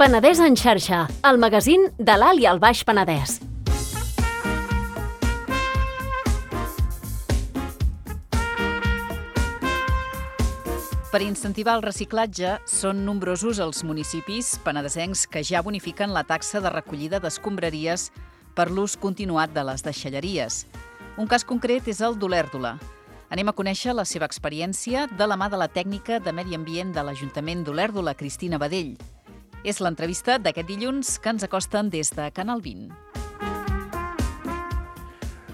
Penedès en xarxa, el magazín de l'Alt i el Baix Penedès. Per incentivar el reciclatge, són nombrosos els municipis penedesencs que ja bonifiquen la taxa de recollida d'escombraries per l'ús continuat de les deixalleries. Un cas concret és el d'Olèrdola. Anem a conèixer la seva experiència de la mà de la tècnica de Medi Ambient de l'Ajuntament d'Olèrdola, Cristina Badell. És l'entrevista d'aquest dilluns que ens acosten des de Canal 20.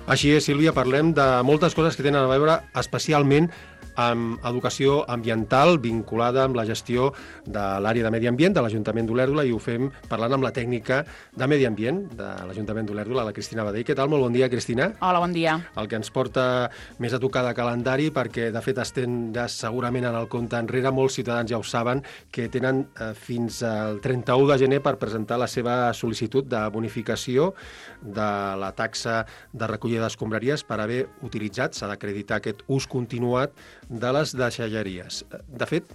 Així és, Sílvia, parlem de moltes coses que tenen a veure especialment amb educació ambiental vinculada amb la gestió de l'àrea de Medi Ambient de l'Ajuntament d'Olèrdola, i ho fem parlant amb la tècnica de Medi Ambient de l'Ajuntament d'Olèrdola, la Cristina Badell. Què tal? Molt bon dia, Cristina. Hola, bon dia. El que ens porta més a tocar de calendari, perquè de fet estem ja segurament en el compte enrere, molts ciutadans ja ho saben, que tenen fins al 31 de gener per presentar la seva sol·licitud de bonificació de la taxa de recollida d'escombraries per haver utilitzat, s'ha d'acreditar aquest ús continuat de les deixalleries. De fet,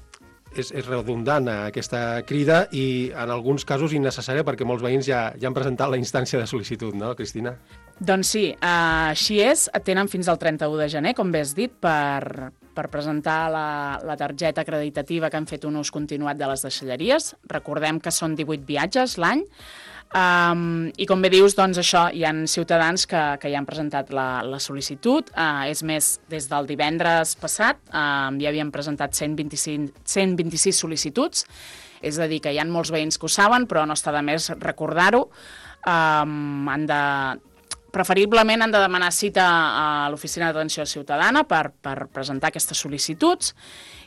és redundant aquesta crida i en alguns casos innecessària perquè molts veïns ja han presentat la instància de sol·licitud, no, Cristina? Doncs sí, així és. Tenen fins al 31 de gener, com bé has dit, per presentar la targeta acreditativa que han fet un ús continuat de les deixalleries. Recordem que són 18 viatges l'any. I com bé dius, doncs això, hi ha ciutadans que ja han presentat la sol·licitud. És més, des del divendres passat ja havien presentat 126 sol·licituds, és a dir, que hi ha molts veïns que ho saben, però no està de més recordar-ho. Preferiblement han de demanar cita a l'Oficina d'Atenció Ciutadana per presentar aquestes sol·licituds,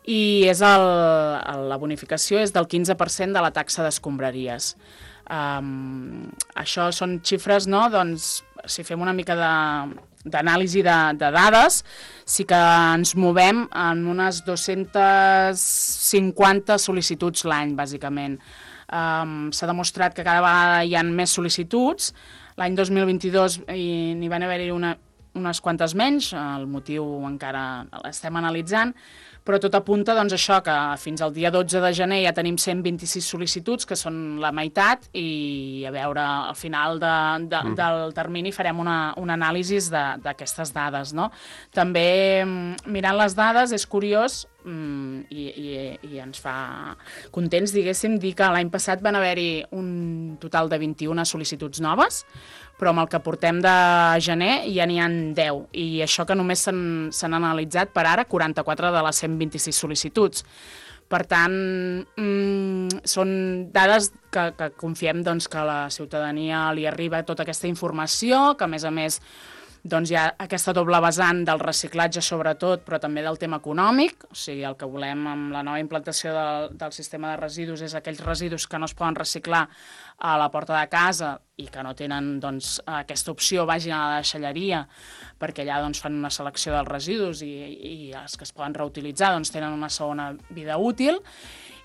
i la bonificació és del 15% de la taxa d'escombraries. Això són xifres, no? Doncs, si fem una mica d'anàlisi de dades, sí que ens movem en unes 250 sol·licituds l'any, bàsicament. S'ha demostrat que cada vegada hi ha més sol·licituds. L'any 2022 n'hi van haver-hi unes quantes menys, el motiu encara l'estem analitzant, però tot apunta, doncs, això, que fins al dia 12 de gener ja tenim 126 sol·licituds, que són la meitat, i a veure, al final del termini farem una anàlisi d'aquestes dades, no? També, mirant les dades, és curiós, i ens fa contents, diguéssim, dir que l'any passat van haver-hi un total de 21 sol·licituds noves, però amb el que portem de gener ja n'hi ha 10, i això que només s'han analitzat per ara 44 de les 126 sol·licituds. Per tant, són dades que confiem, doncs, que a la ciutadania li arriba tota aquesta informació, que a més doncs hi ha aquesta doble vessant del reciclatge sobretot, però també del tema econòmic. O sigui, el que volem amb la nova implantació del sistema de residus és aquells residus que no es poden reciclar a la porta de casa i que no tenen, doncs, aquesta opció, vagin a la deixalleria, perquè allà, doncs, fan una selecció dels residus i els que es poden reutilitzar, doncs, tenen una segona vida útil.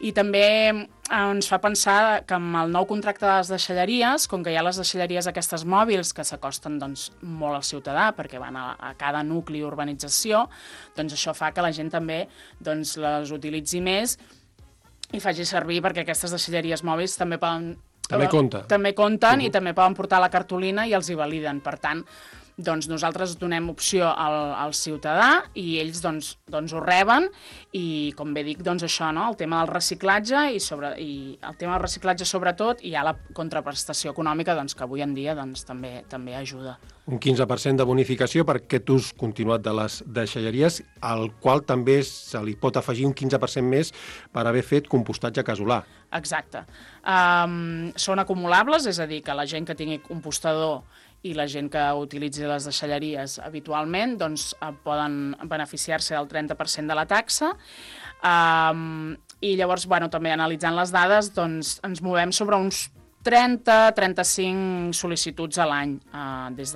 I també ens fa pensar que amb el nou contracte de les deixalleries, com que hi ha les deixalleries aquestes mòbils que s'acosten, doncs, molt al ciutadà perquè van a cada nucli i urbanització, doncs això fa que la gent també, doncs, les utilitzi més i faci servir, perquè aquestes deixalleries mòbils també compten i també poden portar la cartolina i els hi validen. Per tant, doncs nosaltres donem opció al ciutadà i ells doncs ho reben, i com bé dic, doncs això, no? El tema del reciclatge i el tema del reciclatge sobretot, i hi ha la contraprestació econòmica, doncs, que avui en dia doncs, també ajuda. Un 15% de bonificació per aquest ús continuat de les deixalleries, al qual també se li pot afegir un 15% més per haver fet compostatge casolà. Exacte. Són acumulables, és a dir, que la gent que tingui compostador i la gent que utilitzi les deixalleries habitualment, doncs, poden beneficiar-se del 30% de la taxa. I llavors, també analitzant les dades, doncs, ens movem sobre uns 30-35 sol·licituds a l'any. Des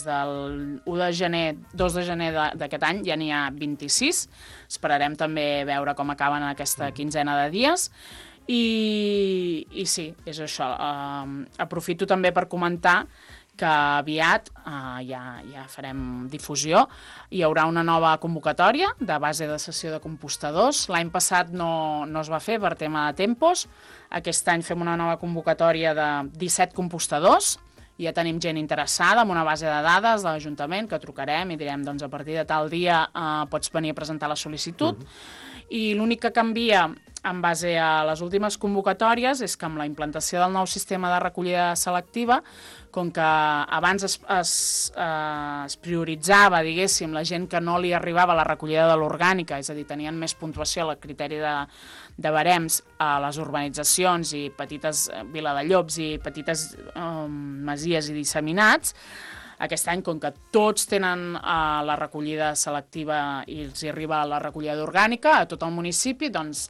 del 2 de gener d'aquest any ja n'hi ha 26. Esperarem també veure com acaben aquesta quinzena de dies. I sí, és això. Aprofito també per comentar que aviat ja farem difusió. Hi haurà una nova convocatòria de base de cessió de compostadors. L'any passat no es va fer per tema de tempos. Aquest any fem una nova convocatòria de 17 compostadors. Ja tenim gent interessada en una base de dades de l'Ajuntament que trucarem i direm doncs, a partir de tal dia pots venir a presentar la sol·licitud. I l'únic que canvia en base a les últimes convocatòries és que amb la implantació del nou sistema de recollida selectiva, com que abans es prioritzava, diguéssim, la gent que no li arribava la recollida de l'orgànica, és a dir, tenien més puntuació al criteri de barems a les urbanitzacions i petites viladallops i petites masies i disseminats. Aquest any, com que tots tenen la recollida selectiva i els hi arriba la recollida d'orgànica a tot el municipi, doncs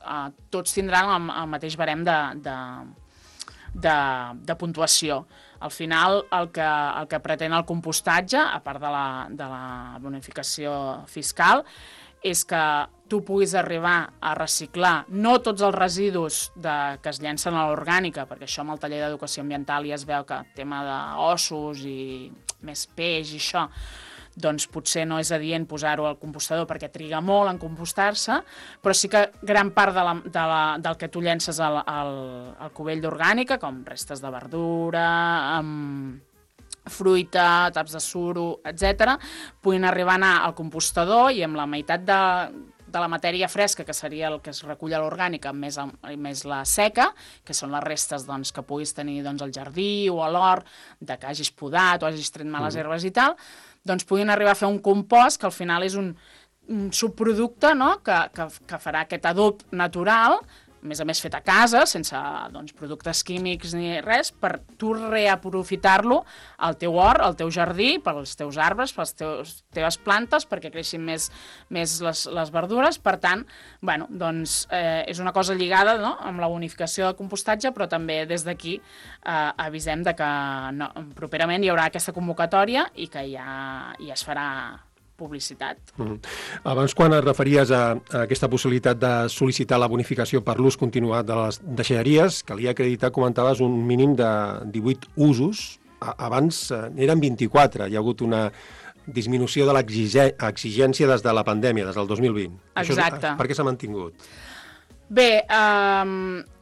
tots tindran el mateix barem de puntuació. Al final, el que pretén el compostatge, a part de la bonificació fiscal, és que tu puguis arribar a reciclar no tots els residus que es llencen a l'orgànica, perquè això amb el taller d'educació ambiental ja es veu que el tema d'ossos i més peix i això, doncs potser no és adient posar-ho al compostador perquè triga molt en compostar-se, però sí que gran part del que tu llences al cubell d'orgànica, com restes de verdura, fruita, taps de suro, etc., puguin arribar a anar al compostador i amb la meitat de la matèria fresca, que seria el que es recull a l'orgànica, més la seca, que són les restes doncs, que puguis tenir doncs, al jardí o a l'hort, que hagis podat o hagis tret males herbes i tal, doncs puguin arribar a fer un compost que al final és un subproducte, no?, que farà aquest adob natural, a més fet a casa, sense doncs, productes químics ni res, per tu reaprofitar-lo al teu hort, al teu jardí, pels teus arbres, per les teves plantes, perquè creixin més les verdures. Per tant, bueno, doncs, és una cosa lligada, no?, amb la bonificació del compostatge, però també des d'aquí avisem de que properament hi haurà aquesta convocatòria i que ja es farà publicitat. Abans, quan et referies a aquesta possibilitat de sol·licitar la bonificació per l'ús continuat de les deixalleries, calia acreditar, comentaves, un mínim de 18 usos. Abans eren 24. Hi ha hagut una disminució de l'exigència des de la pandèmia, des del 2020. Exacte. Per què s'ha mantingut? Bé,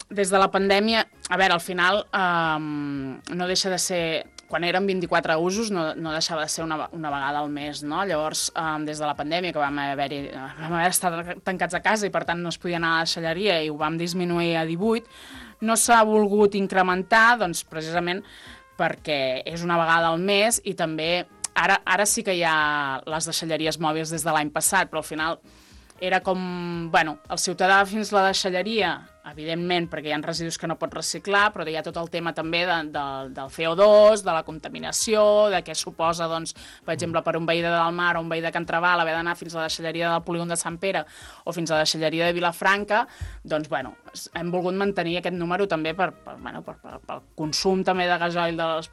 des de la pandèmia, a veure, al final no deixa de ser... Quan eren 24 usos no deixava de ser una vegada al mes, no? Llavors, des de la pandèmia, que vam haver estat tancats a casa i per tant no es podia anar a la deixalleria i ho vam disminuir a 18, no s'ha volgut incrementar, doncs precisament perquè és una vegada al mes i també ara sí que hi ha les deixalleries mòbils des de l'any passat, però al final era com, bueno, el ciutadà fins a la deixalleria, evidentment, perquè hi ha residus que no pot reciclar, però hi ha tot el tema també del CO2, de la contaminació, de què suposa, doncs, per exemple, per un veí de Dalmar o un veí de Can Trabal haver d'anar fins a la deixalleria del polígon de Sant Pere o fins a la deixalleria de Vilafranca, doncs, bueno, hem volgut mantenir aquest número també pel consum també de gasoil dels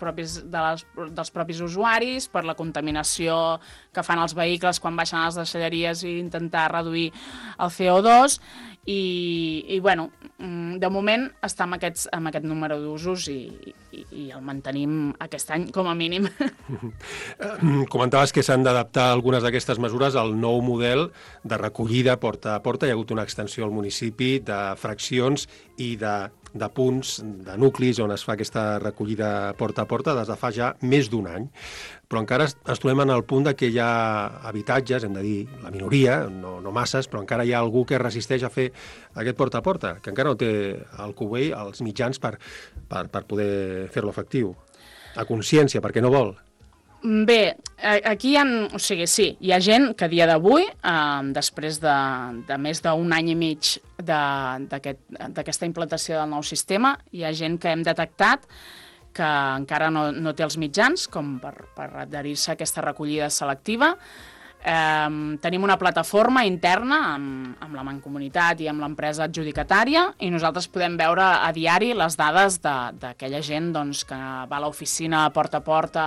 propis usuaris, per la contaminació que fan els vehicles quan baixen a les deixalleries i intentar reduir el CO2, i bueno, de moment està amb aquest número d'usos i el mantenim aquest any com a mínim. Comentaves que s'han d'adaptar algunes d'aquestes mesures al nou model de recollida porta a porta. Hi ha hagut una extensió al municipi de fraccions i de punts, de nuclis on es fa aquesta recollida porta a porta des de fa ja més d'un any. Però encara ens trobem en el punt que hi ha habitatges, hem de dir la minoria, no masses, però encara hi ha algú que resisteix a fer aquest porta a porta, que encara no té el cubell, els mitjans per poder fer-lo efectiu. A consciència, perquè no vol. Bé, aquí sí, hi ha gent que a dia d'avui, després de més d'un any i mig d'aquesta implantació del nou sistema, hi ha gent que hem detectat que encara no té els mitjans com per adherir-se a aquesta recollida selectiva. Tenim una plataforma interna amb la Mancomunitat i amb l'empresa adjudicatària i nosaltres podem veure a diari les dades d'aquella gent doncs, que va a l'oficina porta a porta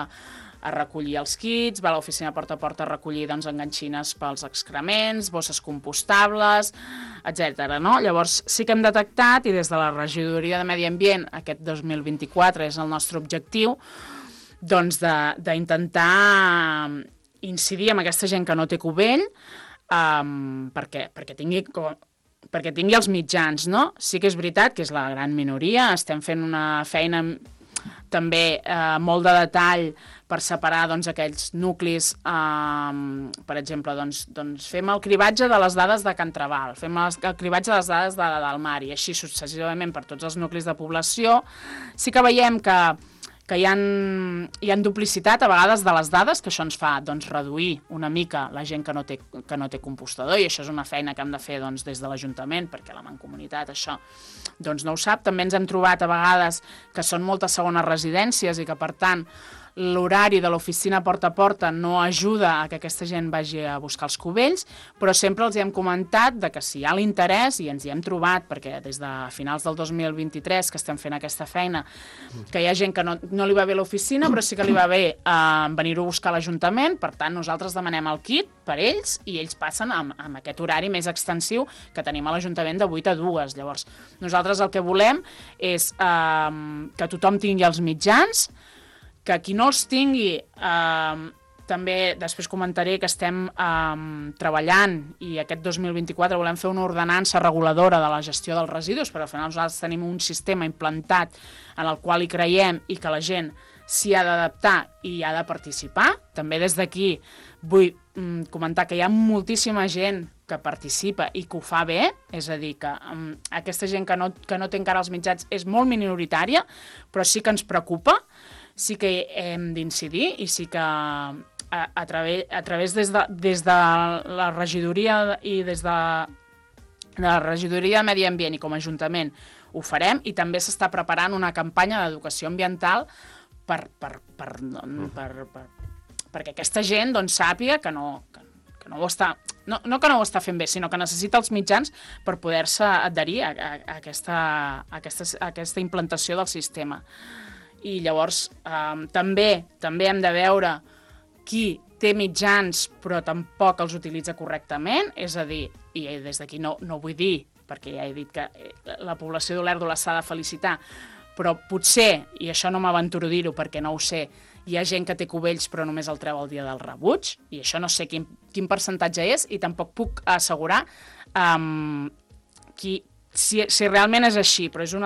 a recollir els kits, va a l'oficina porta a porta a recollir doncs, enganxines pels excrements, bosses compostables, etc. No? Llavors sí que hem detectat, i des de la Regidoria de Medi Ambient aquest 2024 és el nostre objectiu, d'intentar incidir amb aquesta gent que no té cubell perquè tingui els mitjans, no? Sí que és veritat que és la gran minoria, estem fent una feina també molt de detall per separar aquells nuclis, per exemple, fem el cribatge de les dades de Can Trabal, fem el cribatge de les dades del mar i així successivament per tots els nuclis de població. Sí que veiem que hi ha duplicitat a vegades de les dades, que això ens fa reduir una mica la gent que no té compostador, i això és una feina que hem de fer des de l'Ajuntament, perquè la Mancomunitat això no ho sap. També ens hem trobat a vegades que són moltes segones residències i que, per tant, l'horari de l'oficina porta a porta no ajuda a que aquesta gent vagi a buscar els cubells, però sempre els hem comentat que si hi ha l'interès, i ens hi hem trobat, perquè des de finals del 2023 que estem fent aquesta feina, que hi ha gent que no li va bé l'oficina, però sí que li va bé venir-ho a buscar a l'Ajuntament. Per tant, nosaltres demanem el kit per ells i ells passen amb aquest horari més extensiu que tenim a l'Ajuntament de 8 a 2. Llavors, nosaltres el que volem és que tothom tingui els mitjans, que qui no els tingui, també després comentaré que estem treballant i aquest 2024 volem fer una ordenança reguladora de la gestió dels residus, però al final nosaltres tenim un sistema implantat en el qual hi creiem i que la gent s'hi ha d'adaptar i hi ha de participar. També des d'aquí vull comentar que hi ha moltíssima gent que participa i que ho fa bé, és a dir, que aquesta gent que no té encara els mitjans és molt minoritària, però sí que ens preocupa, sí que hem d'incidir i sí que a través des de la regidoria i des de la regidoria de Medi Ambient i com a Ajuntament ho farem, i també s'està preparant una campanya d'educació ambiental perquè aquesta gent sàpiga que no ho està fent bé, sinó que necessita els mitjans per poder-se adherir a aquesta implantació del sistema. I llavors també hem de veure qui té mitjans però tampoc els utilitza correctament, és a dir, i des d'aquí no vull dir, perquè ja he dit que la població d'Olèrdola s'ha de felicitar, però potser, i això no m'aventuro a dir-ho perquè no ho sé, hi ha gent que té cubells però només el treu el dia del rebuig, i això no sé quin percentatge és, i tampoc puc assegurar si realment és així, però és un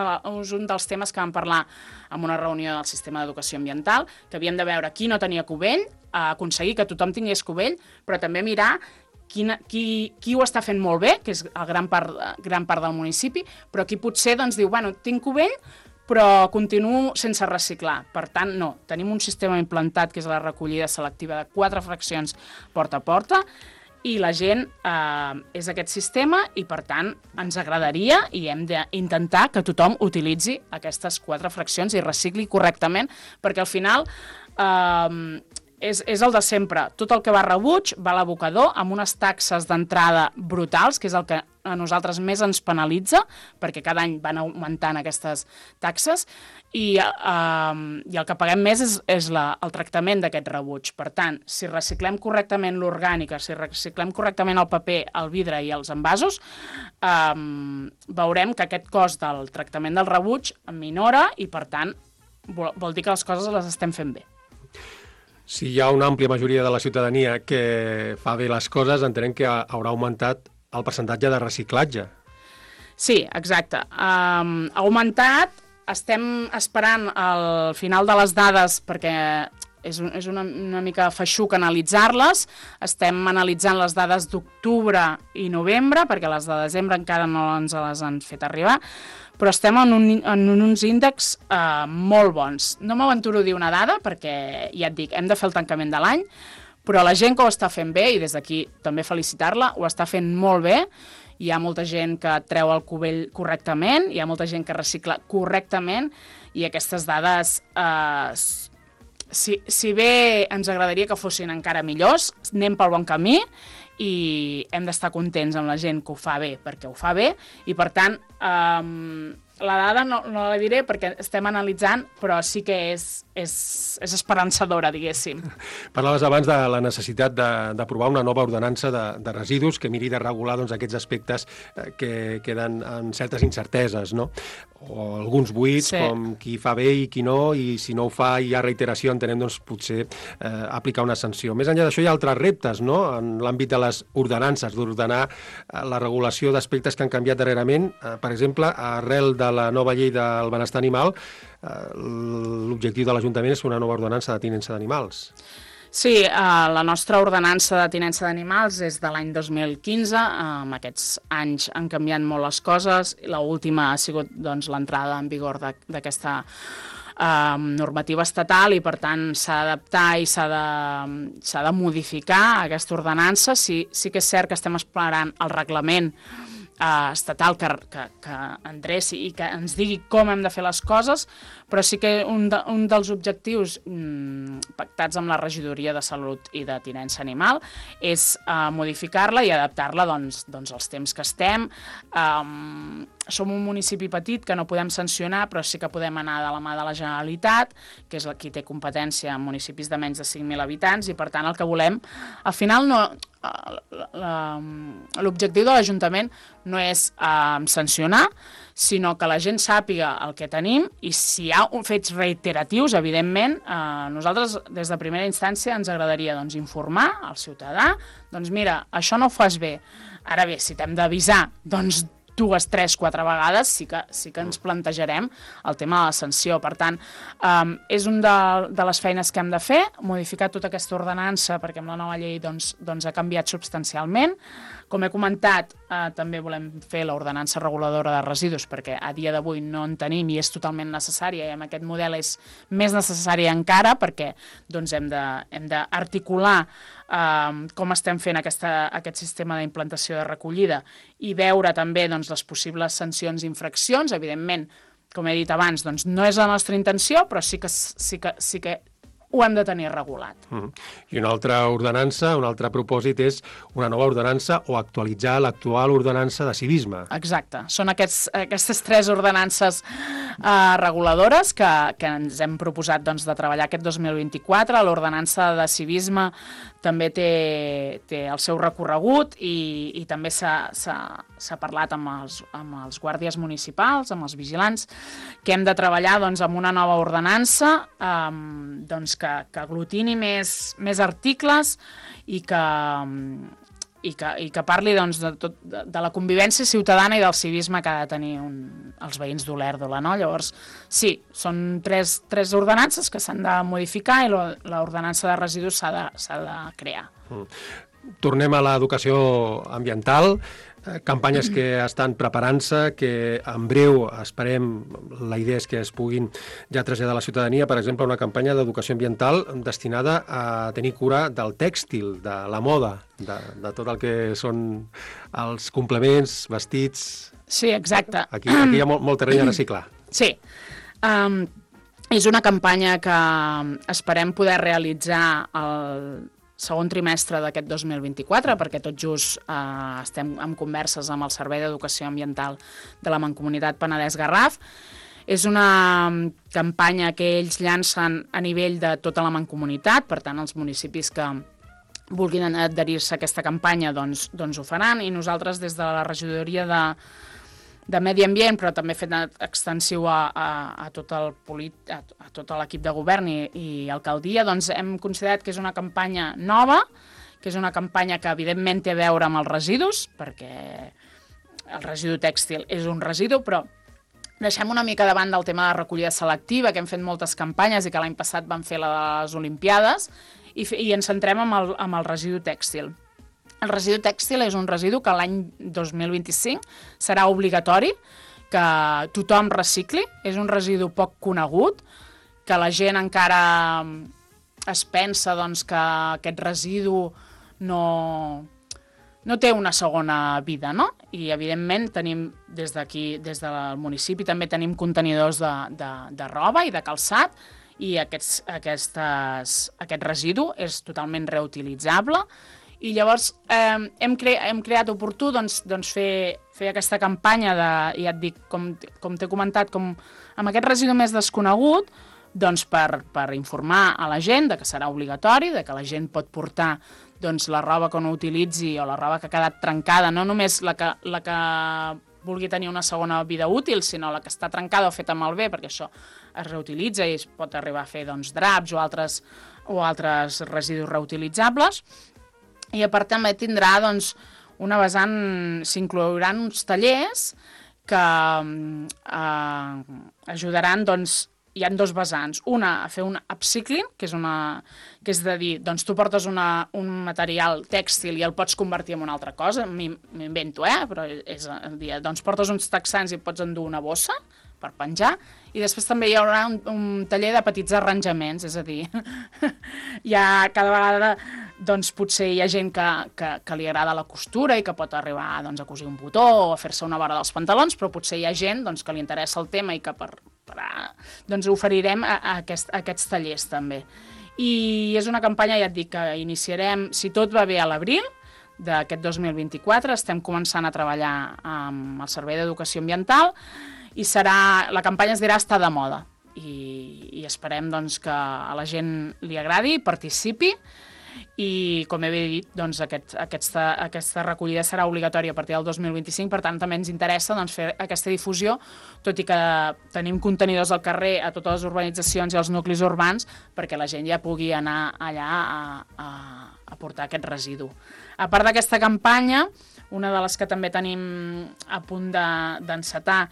dels temes que vam parlar en una reunió del sistema d'educació ambiental, que havíem de veure qui no tenia cubell, aconseguir que tothom tingués cubell, però també mirar qui ho està fent molt bé, que és gran part del municipi, però qui potser diu, bueno, tinc cubell, però continuo sense reciclar. Per tant, no, tenim un sistema implantat que és la recollida selectiva de 4 fraccions porta a porta, i la gent és aquest sistema i, per tant, ens agradaria i hem d'intentar que tothom utilitzi aquestes 4 fraccions i recicli correctament, perquè al final és el de sempre. Tot el que va a rebuig va a l'abocador amb unes taxes d'entrada brutals, que és el que a nosaltres més ens penalitza, perquè cada any van augmentant aquestes taxes, i el que paguem més és el tractament d'aquest rebuig. Per tant, si reciclem correctament l'orgànica, si reciclem correctament el paper, el vidre i els envasos, veurem que aquest cost del tractament del rebuig minora i, per tant, vol dir que les coses les estem fent bé. Si hi ha una àmplia majoria de la ciutadania que fa bé les coses, entenem que haurà augmentat el percentatge de reciclatge. Sí, exacte. Ha augmentat, estem esperant el final de les dades perquè és una mica feixuc analitzar-les. Estem analitzant les dades d'octubre i novembre, perquè les de desembre encara no ens les han fet arribar, però estem en uns índexs molt bons. No m'aventuro a dir una dada, perquè, ja et dic, hem de fer el tancament de l'any, però la gent que ho està fent bé, i des d'aquí també felicitar-la, ho està fent molt bé. Hi ha molta gent que treu el cubell correctament, hi ha molta gent que recicla correctament, i aquestes dades, si bé ens agradaria que fossin encara millors, anem pel bon camí, i hem d'estar contents amb la gent que ho fa bé, perquè ho fa bé, i per tant, la dada no la diré perquè estem analitzant, però sí que és esperançadora, diguéssim. Parlaves abans de la necessitat d'aprovar una nova ordenança de residus que miri de regular aquests aspectes que queden amb certes incerteses, no? o alguns buits, com qui fa bé i qui no, i si no ho fa i hi ha reiteració, entenem, doncs, potser aplicar una sanció. Més enllà d'això, hi ha altres reptes, no?, en l'àmbit de les ordenances, d'ordenar la regulació d'aspectes que han canviat darrerament. Per exemple, arrel de la nova llei del benestar animal, l'objectiu de l'Ajuntament és una nova ordenança de tinença d'animals. Sí, la nostra ordenança de tinença d'animals és de l'any 2015. En aquests anys han canviat molt les coses. L'última ha sigut doncs, l'entrada en vigor d'aquesta normativa estatal i, per tant, s'ha d'adaptar i s'ha de modificar aquesta ordenança. Sí que és cert que estem esperant el reglament estatal que endreci i que ens digui com hem de fer les coses, però sí que un dels objectius pactats amb la Regidoria de Salut i de Tinença Animal és modificar-la i adaptar-la doncs, als temps que estem. Som un municipi petit que no podem sancionar, però sí que podem anar de la mà de la Generalitat, que és qui té competència en municipis de menys de 5.000 habitants, i per tant el que volem, al final l'objectiu de l'Ajuntament no és sancionar, sinó que la gent sàpiga el que tenim, i si hi ha fets reiteratius, evidentment, nosaltres des de primera instància ens agradaria doncs, informar al ciutadà, doncs mira, això no ho fas bé. Ara bé, si t'hem d'avisar, doncs 2, 3, 4 vegades sí que ens plantejarem el tema de la sanció. Per tant, és una de les feines que hem de fer, modificar tota aquesta ordenança, perquè amb la nova llei doncs, ha canviat substancialment. Com he comentat, també volem fer l'ordenança reguladora de residus, perquè a dia d'avui no en tenim i és totalment necessària, i amb aquest model és més necessària encara, perquè doncs, hem d'articular com estem fent aquest sistema d'implantació de recollida i veure també doncs, les possibles sancions i infraccions. Evidentment, com he dit abans, doncs, no és la nostra intenció, però sí que ho hem de tenir regulat. I una altra ordenança, un altre propòsit és una nova ordenança o actualitzar l'actual ordenança de civisme. Exacte. Són aquestes 3 ordenances reguladores que ens hem proposat doncs, de treballar aquest 2024. L'ordenança de civisme també té el seu recorregut i també s'ha parlat amb els guàrdies municipals, amb els vigilants, que hem de treballar doncs, amb una nova ordenança doncs, que aglutini més articles i que parli doncs, de la convivència ciutadana i del civisme que ha de tenir els veïns d'Olèrdola, no? Llavors, sí, són 3 ordenances que s'han de modificar i l'ordenança de residus s'ha de crear. Tornem a l'educació ambiental, campanyes que estan preparant-se, que en breu esperem, la idea és que es puguin ja traslladar a la ciutadania, per exemple, una campanya d'educació ambiental destinada a tenir cura del tèxtil, de la moda, de tot el que són els complements, vestits... Sí, exacte. Aquí hi ha molt terreny a reciclar. Sí. És una campanya que esperem poder realitzar el segon trimestre d'aquest 2024, perquè tot just estem en converses amb el Servei d'Educació Ambiental de la Mancomunitat Penedès-Garraf. És una campanya que ells llancen a nivell de tota la Mancomunitat, per tant, els municipis que vulguin adherir-se a aquesta campanya doncs ho faran, i nosaltres des de la regidoria de Medi Ambient, però també fet extensiu a tot l'equip de govern i alcaldia, doncs hem considerat que és una campanya nova, que és una campanya que evidentment té a veure amb els residus, perquè el residu tèxtil és un residu, però deixem una mica davant del tema de recollida selectiva, que hem fet moltes campanyes i que l'any passat vam fer les Olimpiades, i ens centrem en el residu tèxtil. El residu tèxtil és un residu que l'any 2025 serà obligatori que tothom recicli. És un residu poc conegut, que la gent encara es pensa doncs, que aquest residu no té una segona vida, no? I, evidentment, tenim des d'aquí, des del municipi, també tenim contenidors de roba i de calçat, i aquest residu és totalment reutilitzable. I llavors hem creat oportú fer aquesta campanya ja et dic, com t'he comentat, com amb aquest residu més desconegut, doncs per informar a la gent que serà obligatori, que la gent pot portar la roba que no utilitzi o la roba que ha quedat trencada, no només la que vulgui tenir una segona vida útil, sinó la que està trencada o feta malbé, perquè això es reutilitza i es pot arribar a fer doncs, draps o altres residus reutilitzables. I a part també tindrà doncs, una vessant, s'inclouran uns tallers que ajudaran, doncs, hi ha 2 vessants. Una, a fer un upcycling, que és de dir, doncs tu portes un material tèxtil i el pots convertir en una altra cosa, m'invento, però és dir, doncs portes uns texans i pots endur una bossa per penjar, i després també hi haurà un taller de petits arranjaments, és a dir, cada vegada doncs, potser hi ha gent que li agrada la costura i que pot arribar doncs, a cosir un botó o a fer-se una vora dels pantalons, però potser hi ha gent doncs, que li interessa el tema i que doncs, oferirem aquests tallers també. I és una campanya, ja et dic, que iniciarem, si tot va bé, a l'abril d'aquest 2024. Estem començant a treballar amb el Servei d'Educació Ambiental i la campanya es dirà Estar de moda. I esperem doncs, que a la gent li agradi, participi, i com he dit, doncs, aquesta recollida serà obligatòria a partir del 2025, per tant també ens interessa doncs, fer aquesta difusió, tot i que tenim contenidors al carrer a totes les urbanitzacions i als nuclis urbans perquè la gent ja pugui anar allà a portar aquest residu. A part d'aquesta campanya, una de les que també tenim a punt d'encetar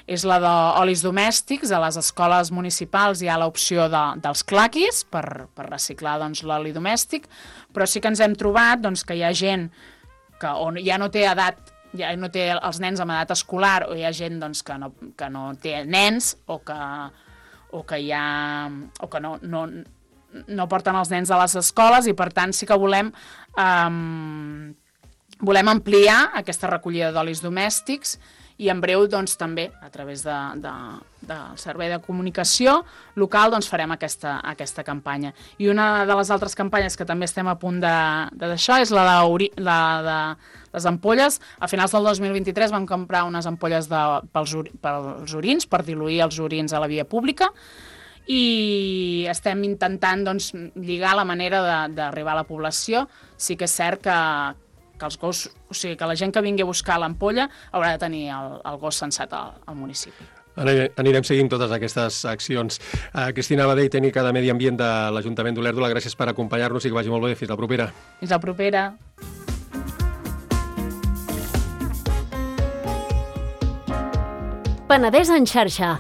és la d'olis domèstics. A les escoles municipals hi ha l'opció dels claquis per reciclar doncs, l'oli domèstic, però sí que ens hem trobat doncs, que hi ha gent que ja no té edat, ja no té els nens amb edat escolar, o hi ha gent doncs, que no té nens o que no porten els nens a les escoles, i per tant sí que volem ampliar aquesta recollida d'olis domèstics, i en breu doncs, també a través del Servei de Comunicació local doncs, farem aquesta campanya. I una de les altres campanyes que també estem a punt de deixar és la de les ampolles. A finals del 2023 vam comprar unes ampolles pels orins, per diluir els orins a la via pública, i estem intentant doncs, lligar la manera d'arribar a la població. Sí que és cert que els gossos, o sigui, que la gent que vingui a buscar l'ampolla haurà de tenir el gos censat al municipi. Anirem seguint totes aquestes accions. Cristina Badell, tècnica de Medi Ambient de l'Ajuntament d'Olèrdola, gràcies per acompanyar-nos i que vagi molt bé. Fins la propera. Fins la propera. Penedès en xarxa.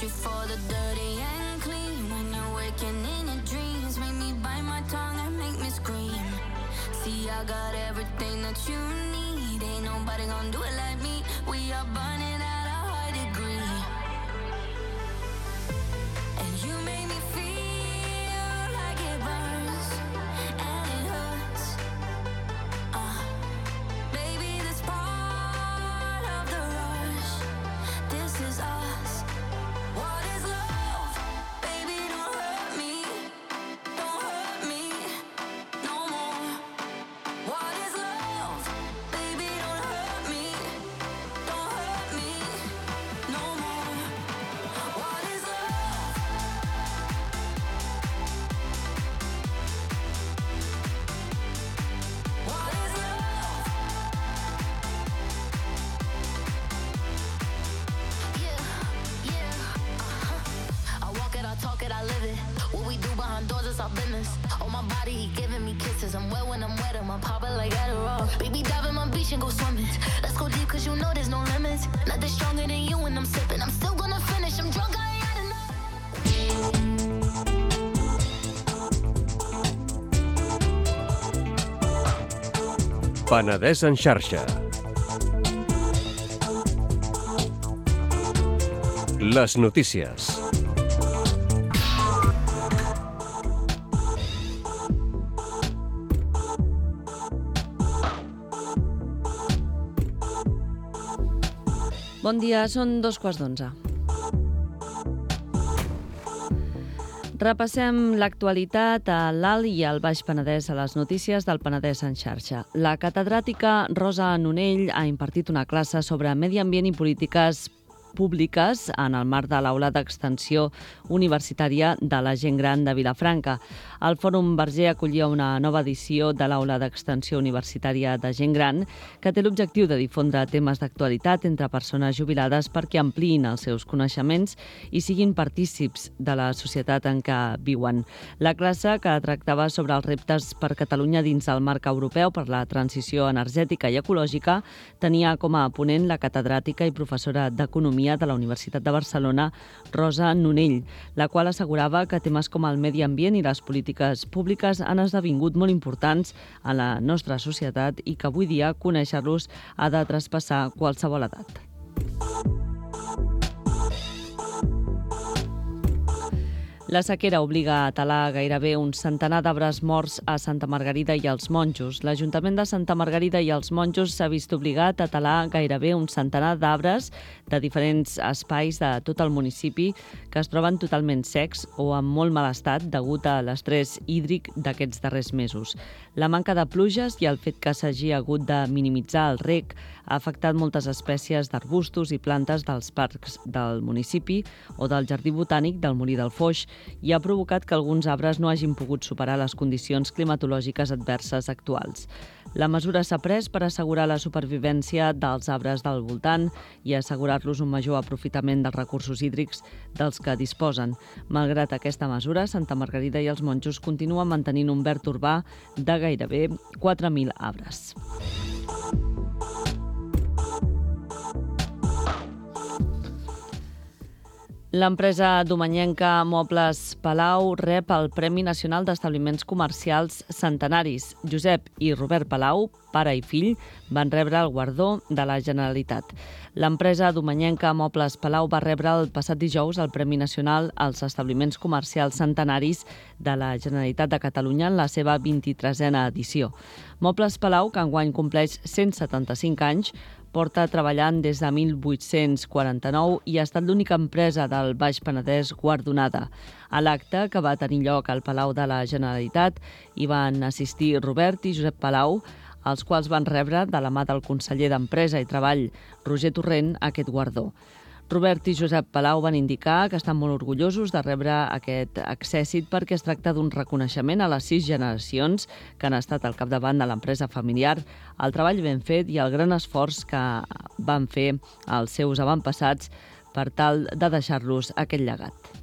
You for the dirty and clean. When you're waking in your dreams, make me bite my tongue and make me scream. See, I got everything that you need. Ain't nobody gonna do it like me. We are burning at a high degree. And you make me feel like it burns and it hurts. Baby, this part of the rush. This is us. What is love? Baby, don't hurt me. Don't hurt me no more. What is love? Baby, don't hurt me. Don't hurt me no more. What is love? What is love? Yeah. I walk it, I talk it, I live it. What we do behind doors is our business. On my body, he giving me kisses. I'm wet when I'm wet, I'm popping like Adderall. Baby, dive in my beach and go swimming. Let's go deep, cause you know there's no limits. Nothing stronger than you when I'm sipping. I'm still gonna finish, I'm drunk, I ain't had enough. Penedès en xarxa. Les notícies. Bon dia, són 2:15. Repassem l'actualitat a l'Alt i al Baix Penedès a les notícies del Penedès en xarxa. La catedràtica Rosa Nonell ha impartit una classe sobre medi ambient i polítiques públiques en el marc de l'Aula d'Extensió Universitària de la Gent Gran de Vilafranca. El Fòrum Verger acollia una nova edició de l'Aula d'Extensió Universitària de Gent Gran que té l'objectiu de difondre temes d'actualitat entre persones jubilades perquè ampliïn els seus coneixements i siguin partícips de la societat en què viuen. La classe, que tractava sobre els reptes per Catalunya dins el marc europeu per la transició energètica i ecològica, tenia com a ponent la catedràtica i professora d'Economia de la Universitat de Barcelona, Rosa Nonell, la qual assegurava que temes com el medi ambient i les polítiques públiques han esdevingut molt importants a la nostra societat i que avui dia conèixer-los ha de traspassar qualsevol edat. La sequera obliga a talar gairebé un centenar d'arbres morts a Santa Margarida i els Monjos. L'Ajuntament de Santa Margarida i els Monjos s'ha vist obligat a talar gairebé un centenar d'arbres de diferents espais de tot el municipi que es troben totalment secs o en molt mal estat degut a l'estrès hídric d'aquests darrers mesos. La manca de pluges i el fet que s'hagi hagut de minimitzar el reg ha afectat moltes espècies d'arbustos i plantes dels parcs del municipi o del Jardí Botànic del Molí del Foix i ha provocat que alguns arbres no hagin pogut superar les condicions climatològiques adverses actuals. La mesura s'ha pres per assegurar la supervivència dels arbres del voltant i assegurar-los un major aprofitament dels recursos hídrics dels que disposen. Malgrat aquesta mesura, Santa Margarida i els Monjos continuen mantenint un verd urbà de gairebé 4.000 arbres. L'empresa domenyenca Mobles Palau rep el Premi Nacional d'Establiments Comercials Centenaris. Josep i Robert Palau, pare i fill, van rebre el guardó de la Generalitat. L'empresa domenyenca Mobles Palau va rebre el passat dijous el Premi Nacional als Establiments Comercials Centenaris de la Generalitat de Catalunya en la seva 23a edició. Mobles Palau, que enguany compleix 175 anys, porta treballant des de 1849 i ha estat l'única empresa del Baix Penedès guardonada. A l'acte, que va tenir lloc al Palau de la Generalitat, hi van assistir Robert i Josep Palau, els quals van rebre de la mà del conseller d'Empresa i Treball, Roger Torrent, aquest guardó. Robert i Josep Palau van indicar que estan molt orgullosos de rebre aquest accèssit perquè es tracta d'un reconeixement a les 6 generacions que han estat al capdavant de l'empresa familiar, el treball ben fet i el gran esforç que van fer els seus avantpassats per tal de deixar-los aquest llegat.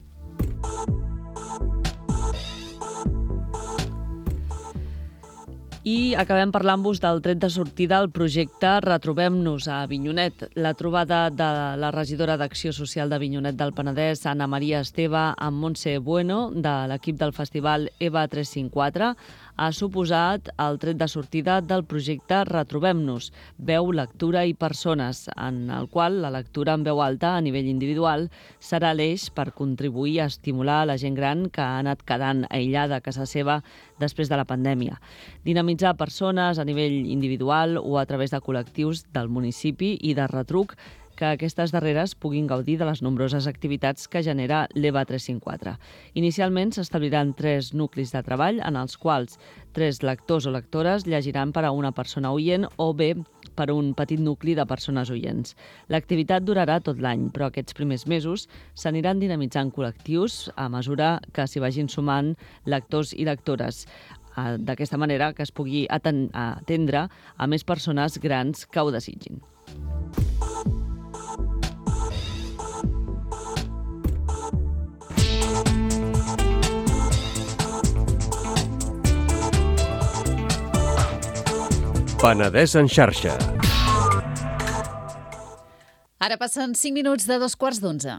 I acabem parlant-vos del tret de sortida al projecte Retrobem-nos a Avinyonet. La trobada de la regidora d'Acció Social d'Avinyonet del Penedès, Anna Maria Esteve, amb Montse Bueno, de l'equip del festival EVA 354, ha suposat el tret de sortida del projecte Retrobem-nos, veu, lectura i persones, en el qual la lectura en veu alta a nivell individual serà l'eix per contribuir a estimular la gent gran que ha anat quedant aïllada a casa seva després de la pandèmia. Dinamitzar persones a nivell individual o a través de col·lectius del municipi i de retruc que aquestes darreres puguin gaudir de les nombroses activitats que genera l'EVA 354. Inicialment s'establiran 3 nuclis de treball en els quals 3 lectors o lectores llegiran per a una persona oient o bé per un petit nucli de persones oients. L'activitat durarà tot l'any, però aquests primers mesos s'aniran dinamitzant col·lectius a mesura que s'hi vagin sumant lectors i lectores. D'aquesta manera que es pugui atendre a més persones grans que ho desitgin. Penedès en xarxa. Ara passen 5 minuts de 2:15.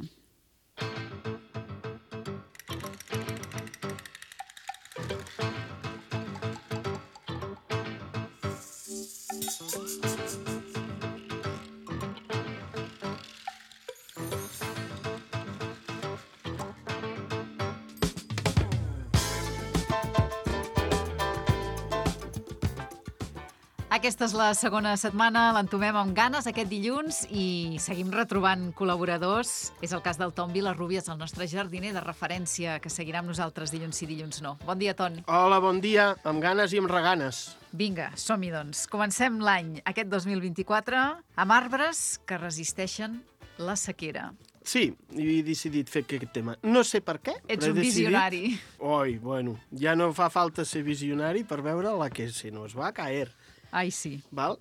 Aquesta és la segona setmana, l'entomem amb ganes aquest dilluns i seguim retrobant col·laboradors. És el cas del Ton Vilarrubias, el nostre jardiner de referència, que seguirà amb nosaltres dilluns sí, dilluns no. Bon dia, Ton. Hola, bon dia, amb ganes i amb reganes. Vinga, som-hi, doncs. Comencem l'any, aquest 2024, amb arbres que resisteixen La sequera. Sí, he decidit fer aquest tema. No sé per què, Ets però he un visionari. Oi, bueno, ja no fa falta ser visionari per veure la que se nos va caer. Ai, sí. Val?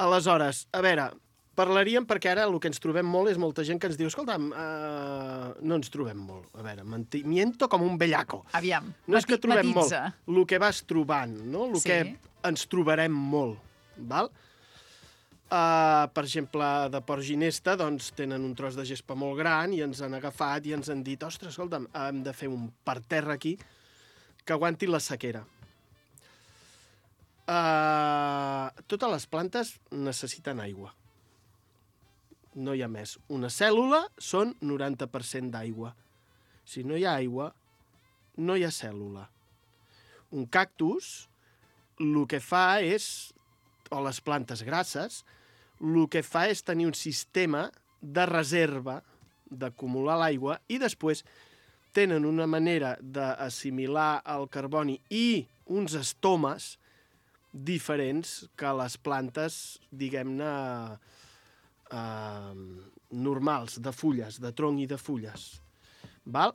Aleshores, a veure, parlaríem, perquè ara el que ens trobem molt és molta gent que ens diu escolta'm, no ens trobem molt. A veure, miento com un bellaco. Aviam, No és que trobem molt, matitza. el que vas trobant, no? El Sí. que ens trobarem molt, val? Per exemple, de Port Ginesta, doncs, tenen un tros de gespa molt gran i ens han agafat i ens han dit ostres, escolta'm, hem de fer un parterre aquí que aguanti la sequera. Totes les plantes necessiten aigua. No hi ha més. Una cèl·lula són 90% d'aigua. Si no hi ha aigua, no hi ha cèl·lula. Un cactus, el que fa és, o les plantes grasses, el que fa és tenir un sistema de reserva d'acumular l'aigua i després tenen una manera d'assimilar el carboni i uns estomes diferents que les plantes, diguem-ne, normals, de fulles, de tronc i de fulles. Val?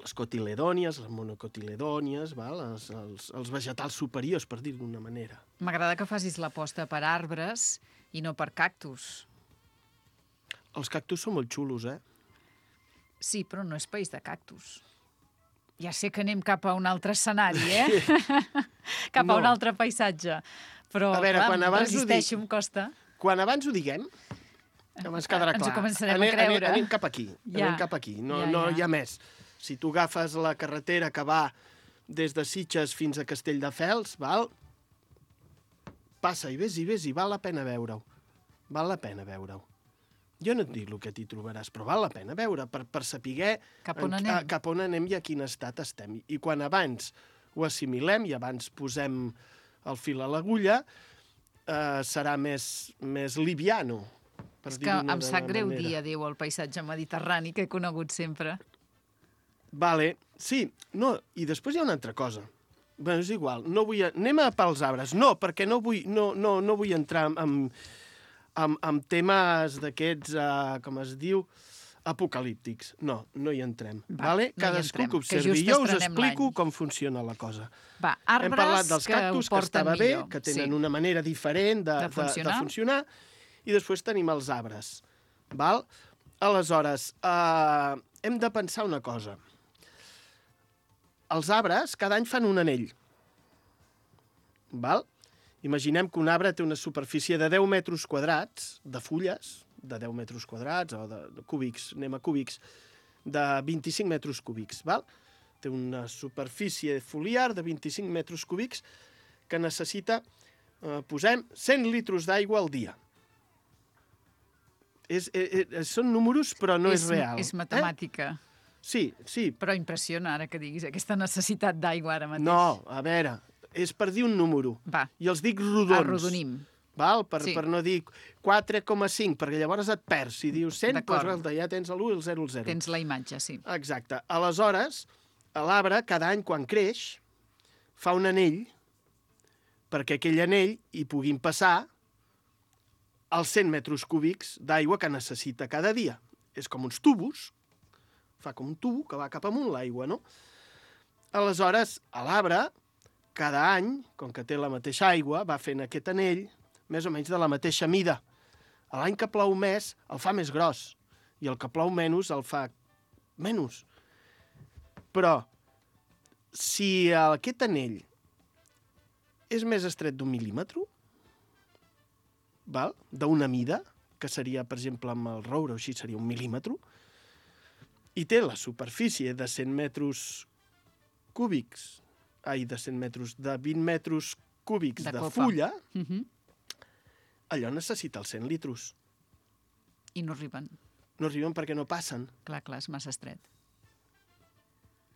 Les cotiledònies, les monocotiledònies, val? Els vegetals superiors, per dir d'una manera. M'agrada que facis l'aposta per arbres i no per cactus. Els cactus són molt xulos, eh? Sí, però no és país de cactus. Ja sé que anem cap a un altre escenari, eh? Cap a un altre paisatge. Però, A veure, clar, quan abans ho resisteixo, dic- em costa. Quan abans ho diguem, abans quedarà Ens ho clar. començarem a creure. Anem cap aquí. Ja. Anem cap aquí. No, Ja, no ja. hi ha més. Si tu agafes la carretera que va des de Sitges fins a Castelldefels, val? Passa i vés, i val la pena veure-ho. Val la pena veure-ho. Jo no et dic el que t'hi trobaràs, però val la pena veure per saber Cap on anem. cap on anem i a quin estat estem. I quan abans ho assimilem i abans posem el fil a l'agulla, serà més liviano. per És que dir-ho em sap greu manera. dir adéu al paisatge mediterrani que he conegut sempre. Vale, sí, no, i després hi ha una altra cosa. Bé, és igual, no vull... Anem a pels arbres. No, perquè no vull entrar en temes d'aquests, com es diu, apocalíptics. No hi entrem. Va, Vale? no hi Cadascú entrem, que que observi. just Jo us estrenem explico l'any. com funciona la cosa. Va, arbres Hem parlat dels que cactus, ho que porten estava bé, millor. que tenen Sí. una manera diferent De funcionar. i després tenim els arbres. Val? Aleshores, hem de pensar una cosa. Els arbres cada any fan un anell. Val? Imaginem que un arbre té una superfície de 10 metres quadrats de fulles, de 10 metres quadrats, o de cúbics, anem a cúbics, de 25 metres cúbics. Val? Té una superfície foliar de 25 metres cúbics que necessita, posem, 100 litres d'aigua al dia. Són números, però no és real. És matemàtica. Sí. Però impressiona ara que diguis aquesta necessitat d'aigua ara mateix. No, a veure, és per dir un número. Va. I els dic rodons. Arrodonim. Val? Sí. Per no dir 4,5, perquè llavors et perds. Si dius 100, D'acord. doncs, ja tens l'1 i el 0, el 0. Tens la imatge, sí. Exacte. Aleshores, l'arbre, cada any, quan creix, fa un anell perquè aquell anell hi puguin passar els 100 metres cúbics d'aigua que necessita cada dia. És com uns tubos, fa com un tubo que va cap amunt l'aigua, no? Aleshores, l'arbre, cada any, com que té la mateixa aigua, va fent aquest anell més o menys de la mateixa mida. L'any que plou més, el fa més gros, i el que plou menys, el fa menys. Però, si aquest anell és més estret d'un mil·límetre, val? D'una mida, que seria, per exemple, amb el roure o així, seria un mil·límetre, i té la superfície de 100 metres cúbics, de 100 metres, de 20 metres cúbics de copa. fulla, Mhm. allò necessita els 100 litres. I no arriben. No arriben perquè no passen. Clar, és massa estret.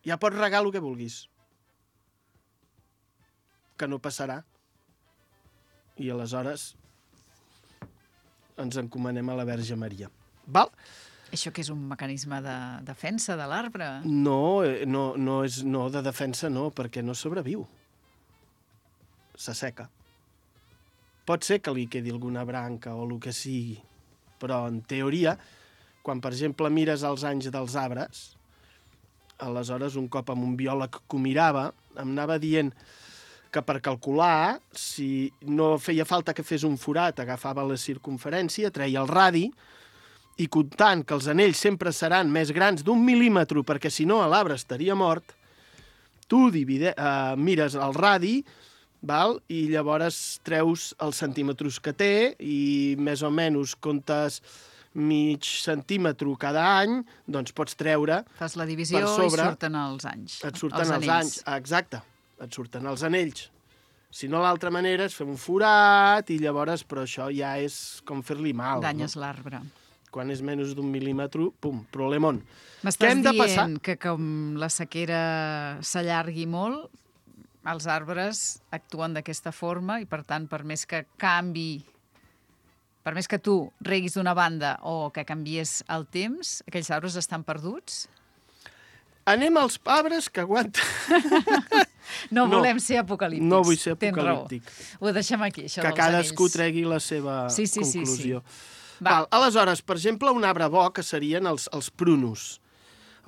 Ja pots regar el que vulguis. Que no passarà. I aleshores ens encomanem a la Verge Maria. Val? Això que és un mecanisme de defensa de l'arbre? No, de defensa no, perquè no sobreviu. S'asseca. Pot ser que li quedi alguna branca o el que sigui, però en teoria, quan, per exemple, mires els anys dels arbres, aleshores, un cop amb un biòleg que ho mirava, em anava dient que per calcular, si no feia falta que fes un forat, agafava la circunferència, treia el radi, i comptant que els anells sempre seran més grans d'1 mil·límetre, perquè si no l'arbre estaria mort, tu mires el radi, val? I llavors treus els centímetres que té i més o menys comptes mig centímetre cada any, doncs pots treure... Fas la divisió per sobre, i surten els anys. Et surten els anys, exacte. Et surten els anells. Si no, l'altra manera és fer un forat i llavors, però això ja és com fer-li mal. Danyes l'arbre. Quan és menys d'1 mil·límetre, pum, problemon. M'estàs dient que com la sequera s'allargui molt, els arbres actuen d'aquesta forma i, per tant, per més que canvi, per més que tu reguis d'una banda o que canvies el temps, aquells arbres estan perduts? Anem als arbres que aguanten... No volem ser apocalíptics. No vull ser apocalíptic. Ho deixem aquí, això que dels cadascú anells. tregui la seva conclusió. Sí. Val, aleshores, per exemple, un arbre bo que serien els prunus.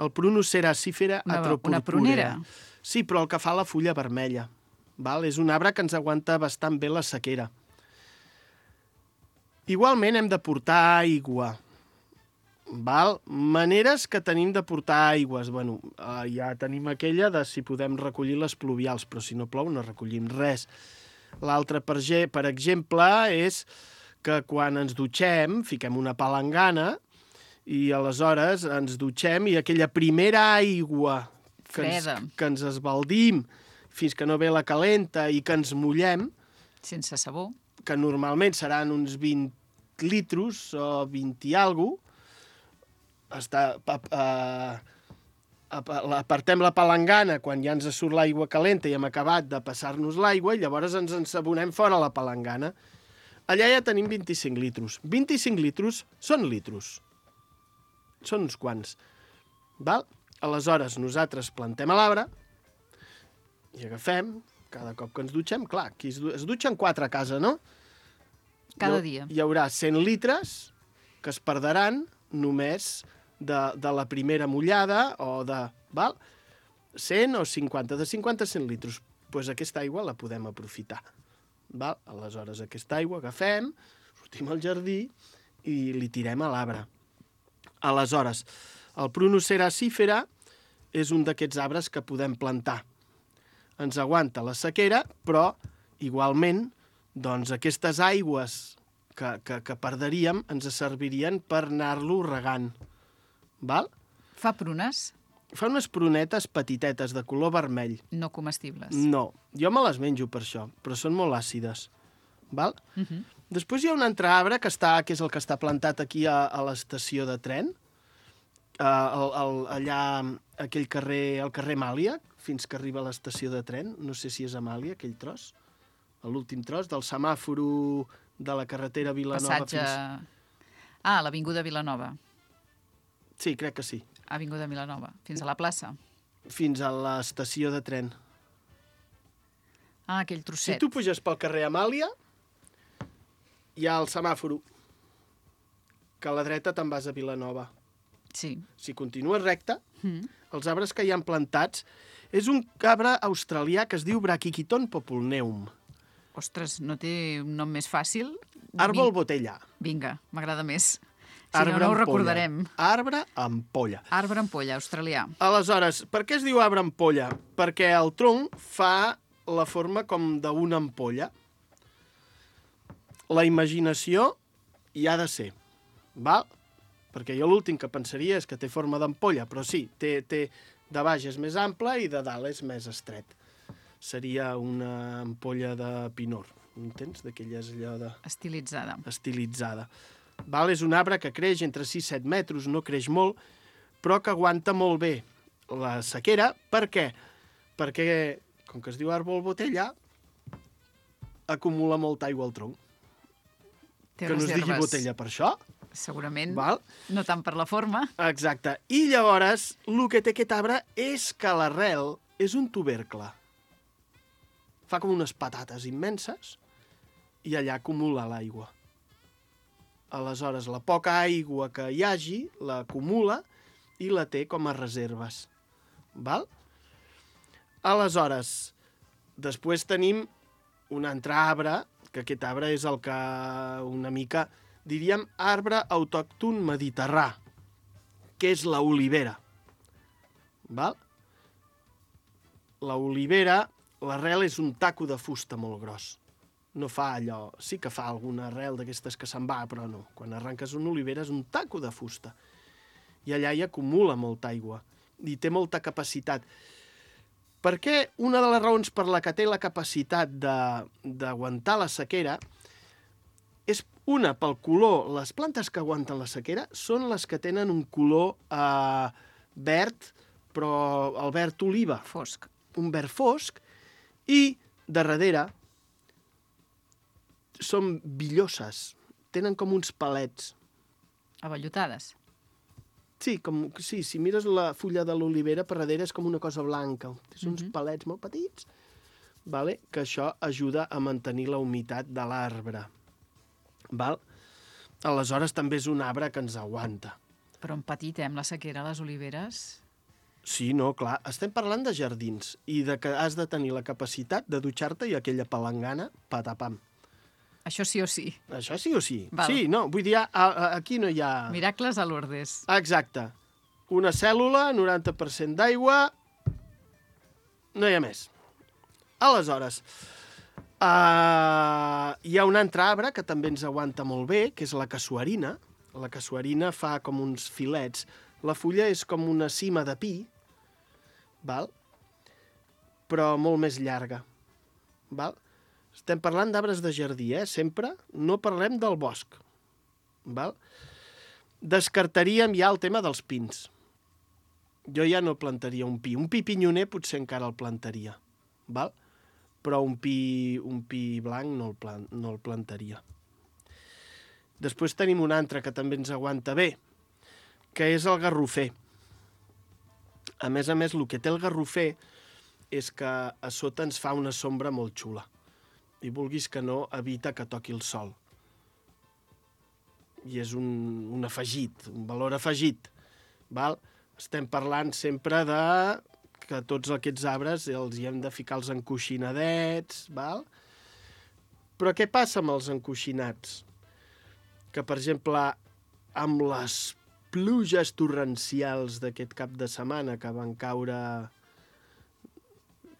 El prunus seracífera atropurpúrea. Una prunera. Sí, però el que fa la fulla vermella. Val? És un arbre que ens aguanta bastant bé la sequera. Igualment hem de portar aigua. Val? Maneres que tenim de portar aigües. Bueno, ja tenim aquella de si podem recollir les pluvials, però si no plou no recollim res. L'altre, per exemple, és que quan ens dutxem, fiquem una palangana i aleshores ens dutxem i aquella primera aigua que ens esbaldim fins que no ve la calenta i que ens mullem... Sense sabó. Que normalment seran uns 20 litres o 20 i alguna cosa, apartem la palangana quan ja ens surt l'aigua calenta i hem acabat de passar-nos l'aigua i llavors ens ensabonem fora la palangana. Allà ja tenim 25 litres. 25 litres són litros. Són uns quants. Val? Aleshores, nosaltres plantem a l'arbre i agafem, cada cop que ens dutxem, clar, aquí es dutxen 4 a casa, no? Cada dia. Hi haurà 100 litres que es perdran només de la primera mullada o de... Val? 100 o 50, de 50 a 100 litres. Doncs aquesta aigua la podem aprofitar. Val? Aleshores, aquesta aigua agafem, sortim al jardí i li tirem a l'arbre. Aleshores, el prunus seracífera és un d'aquests arbres que podem plantar. Ens aguanta la sequera, però igualment doncs, aquestes aigües que perdríem ens servirien per anar-lo regant. Val? Fa prunes? Fa unes prunetes petitetes de color vermell. No comestibles? No, jo me les menjo per això, però són molt àcides. Val? Després hi ha un altre arbre que és el que està plantat aquí a l'estació de tren, allà, aquell carrer, el carrer Amàlia, fins que arriba a l'estació de tren. No sé si és Amàlia, aquell tros. L'últim tros del semàforo de la carretera Vilanova. Ah, l'Avinguda Vilanova. Sí, crec que sí. Avinguda Vilanova, fins a la plaça. Fins a l'estació de tren. Ah, aquell trosset. Si tu puges pel carrer Amàlia, hi ha el semàforo, que a la dreta te'n vas a Vilanova. Sí. Si continues recte, els arbres que hi han plantats és un arbre australià que es diu Brachychiton populneum. Ostres, no té un nom més fàcil? Àrbol botella. Vinga, m'agrada més. Si no ho recordarem. Arbre ampolla. Arbre ampolla, australià. Aleshores, per què es diu arbre ampolla? Perquè el tronc fa la forma com d'una ampolla. La imaginació hi ha de ser, val? Perquè jo l'últim que pensaria és que té forma d'ampolla, però sí, té de baix és més ample i de dalt és més estret. Seria una ampolla de pinor, entens? D'aquelles allò de... Estilitzada. Estilitzada. Val? És un arbre que creix entre 6 i 7 metres, no creix molt, però que aguanta molt bé la sequera. Per què? Perquè, com que es diu àrbol botella, acumula molta aigua al tronc. Que no es digui botella per això. Segurament, val? No tant per la forma. Exacte. I llavors, el que té aquest arbre és que l'arrel és un tubercle. Fa com unes patates immenses i allà acumula l'aigua. Aleshores, la poca aigua que hi hagi l'acumula i la té com a reserves. Val? Aleshores, després tenim un altre arbre, que aquest arbre és el que una mica, diríem, arbre autòcton mediterrà, que és la olivera. Val? La olivera, l'arrel és un taco de fusta molt gros. No fa allò... Sí que fa alguna arrel d'aquestes que se'n va, però no. Quan arranques una olivera és un taco de fusta. I allà hi acumula molta aigua. I té molta capacitat. Per què? Una de les raons per la que té la capacitat d'aguantar la sequera és una, pel color. Les plantes que aguanten la sequera són les que tenen un color verd, però el verd oliva. Fosc. Un verd fosc. I, darrere, són villoses. Tenen com uns palets. Avellotades. Sí, si mires la fulla de l'olivera, per darrere és com una cosa blanca. Són uns palets molt petits, vale? Que això ajuda a mantenir la humitat de l'arbre. Val? Aleshores, també és un arbre que ens aguanta. Però en petit, amb la sequera, les oliveres... Sí, no, clar. Estem parlant de jardins i de que has de tenir la capacitat de dutxar-te i aquella palangana, patapam. Això sí o sí. Això sí o sí. Val. Sí, no, vull dir, aquí no hi ha... Miracles a Lourdes. Exacte. Una cèl·lula, 90% d'aigua, no hi ha més. Aleshores, hi ha un altre arbre que també ens aguanta molt bé, que és la casuarina. La casuarina fa com uns filets. La fulla és com una cima de pi, val? Però molt més llarga. Val? Estem parlant d'arbres de jardí, sempre. No parlem del bosc. Val? Descartaríem ja el tema dels pins. Jo ja no plantaria un pi. Un pi pinyoner potser encara el plantaria. Val? Però un pi blanc no el plantaria. Després tenim un altre que també ens aguanta bé, que és el garrofer. A més, el que té el garrofer és que a sota ens fa una sombra molt xula. I vulguis que no, evita que toqui el sol. I és un afegit, un valor afegit. Val? Estem parlant sempre de que tots aquests arbres els hi hem de ficar els encoixinadets, val? Però què passa amb els encoixinats? Que, per exemple, amb les pluges torrencials d'aquest cap de setmana que van caure...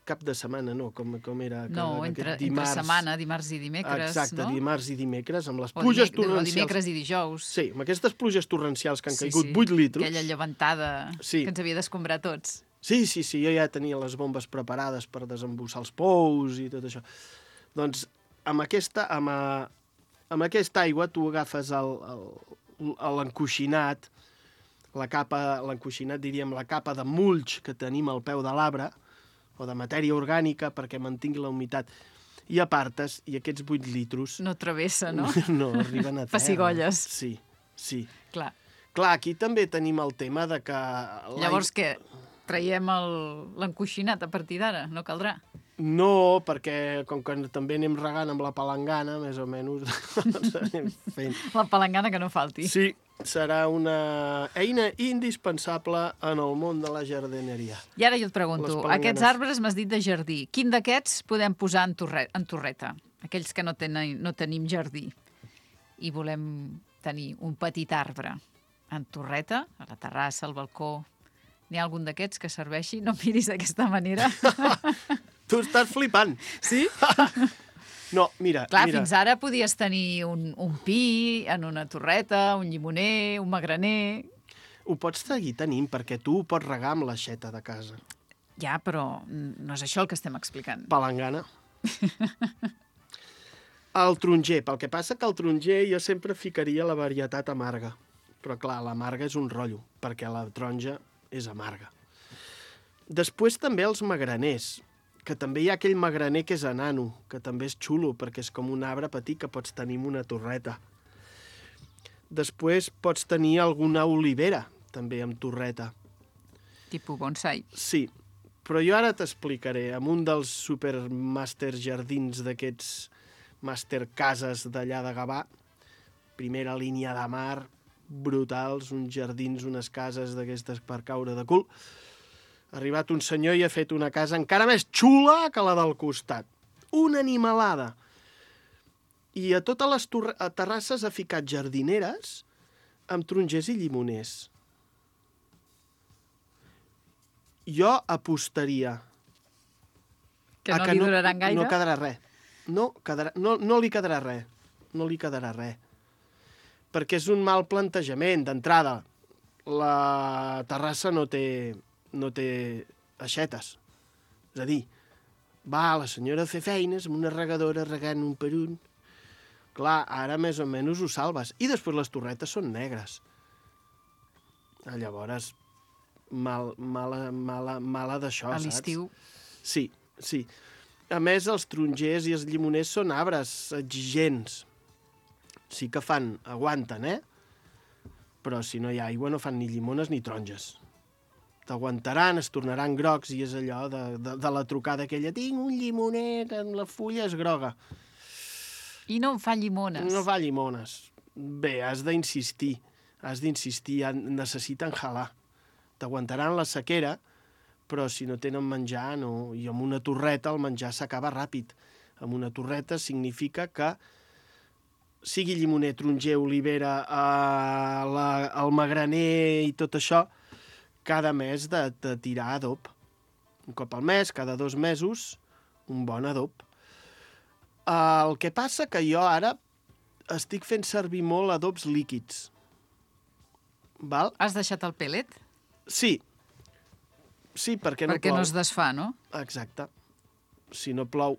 Cap de setmana, no, com era? No, entre setmana, dimarts i dimecres, exacte, no? Dimarts i dimecres, amb les pluges torrencials... O dimecres i dijous. Sí, amb aquestes pluges torrencials que han caigut 8 litros... Aquella llevantada que ens havia d'escombrar tots. Sí, jo ja tenia les bombes preparades per desembussar els pous i tot això. Doncs amb aquesta aigua tu agafes l'encoixinat, l'encoixinat, diríem, la capa de mulch que tenim al peu de l'arbre, o de matèria orgànica perquè mantingui la humitat, i apartes, i aquests 8 litros... No travessa, no? No, arriben a terra. Pessigolles. Sí. Clar, aquí també tenim el tema de que... Llavors què? Traiem l'encoixinat a partir d'ara? No caldrà? No, perquè com que també anem regant amb la palangana, més o menys, doncs anem fent. La palangana que no falti. Sí, serà una eina indispensable en el món de la jardineria. I ara jo et pregunto, aquests arbres m'has dit de jardí. Quin d'aquests podem posar en torreta? Aquells que no tenim jardí i volem tenir un petit arbre en torreta, a la terrassa, al balcó. N'hi ha algun d'aquests que serveixi? No em miris d'aquesta manera. Tu estàs flipant. Sí? No, mira. Clar, fins ara podies tenir un pi en una torreta, un llimoner, un magraner... Ho pots seguir tenint, perquè tu ho pots regar amb l'aixeta de casa. Ja, però no és això el que estem explicant. Palangana. El taronger. Pel que passa que el taronger jo sempre ficaria la varietat amarga. Però clar, l'amarga és un rotllo, perquè la taronja és amarga. Després també els magraners, que també hi ha aquell magraner que és enano, que també és xulo, perquè és com un arbre petit que pots tenir en una torreta. Després pots tenir alguna olivera, també amb torreta. Tipus bonsai. Sí, però jo ara t'explicaré, amb un dels supermaster jardins d'aquests master cases d'allà de Gavà, primera línia de mar, brutals, uns jardins, unes cases d'aquestes per caure de cul. Ha arribat un senyor i ha fet una casa encara més xula que la del costat. Una animalada. I a totes les terrasses ha ficat jardineres amb tarongers i llimoners. Jo apostaria Que no li duraran gaire? No quedarà res. No li quedarà res. No li quedarà res. Perquè és un mal plantejament, d'entrada. La terrassa no té aixetes. És a dir, va la senyora a fer feines amb una regadora regant un per un. Clar, ara més o menys ho salves. I després les torretes són negres. Llavors, mala d'això, A saps? l'estiu. Sí. A més, els tarongers i els llimoners són arbres exigents. Sí que aguanten, Però si no hi ha aigua no fan ni llimones ni taronges. T'aguantaran, es tornaran grocs i és allò de la trucada aquella. Tinc un llimoner que la fulla és groga. I no en fa llimones. No fa llimones. Bé, has d'insistir, necessiten jalar. T'aguantaran la sequera, però si no tenen menjar, no. I amb una torreta el menjar s'acaba ràpid. Amb una torreta significa que sigui llimoner, taronger, olivera, el magraner i tot això, cada mes de tirar adob. Un cop al mes, cada 2 mesos, un bon adob. El que passa que jo ara estic fent servir molt adobs líquids. Val? Has deixat el pellet? Sí, perquè no plou. Perquè no es desfà, no? Exacte. Si no plou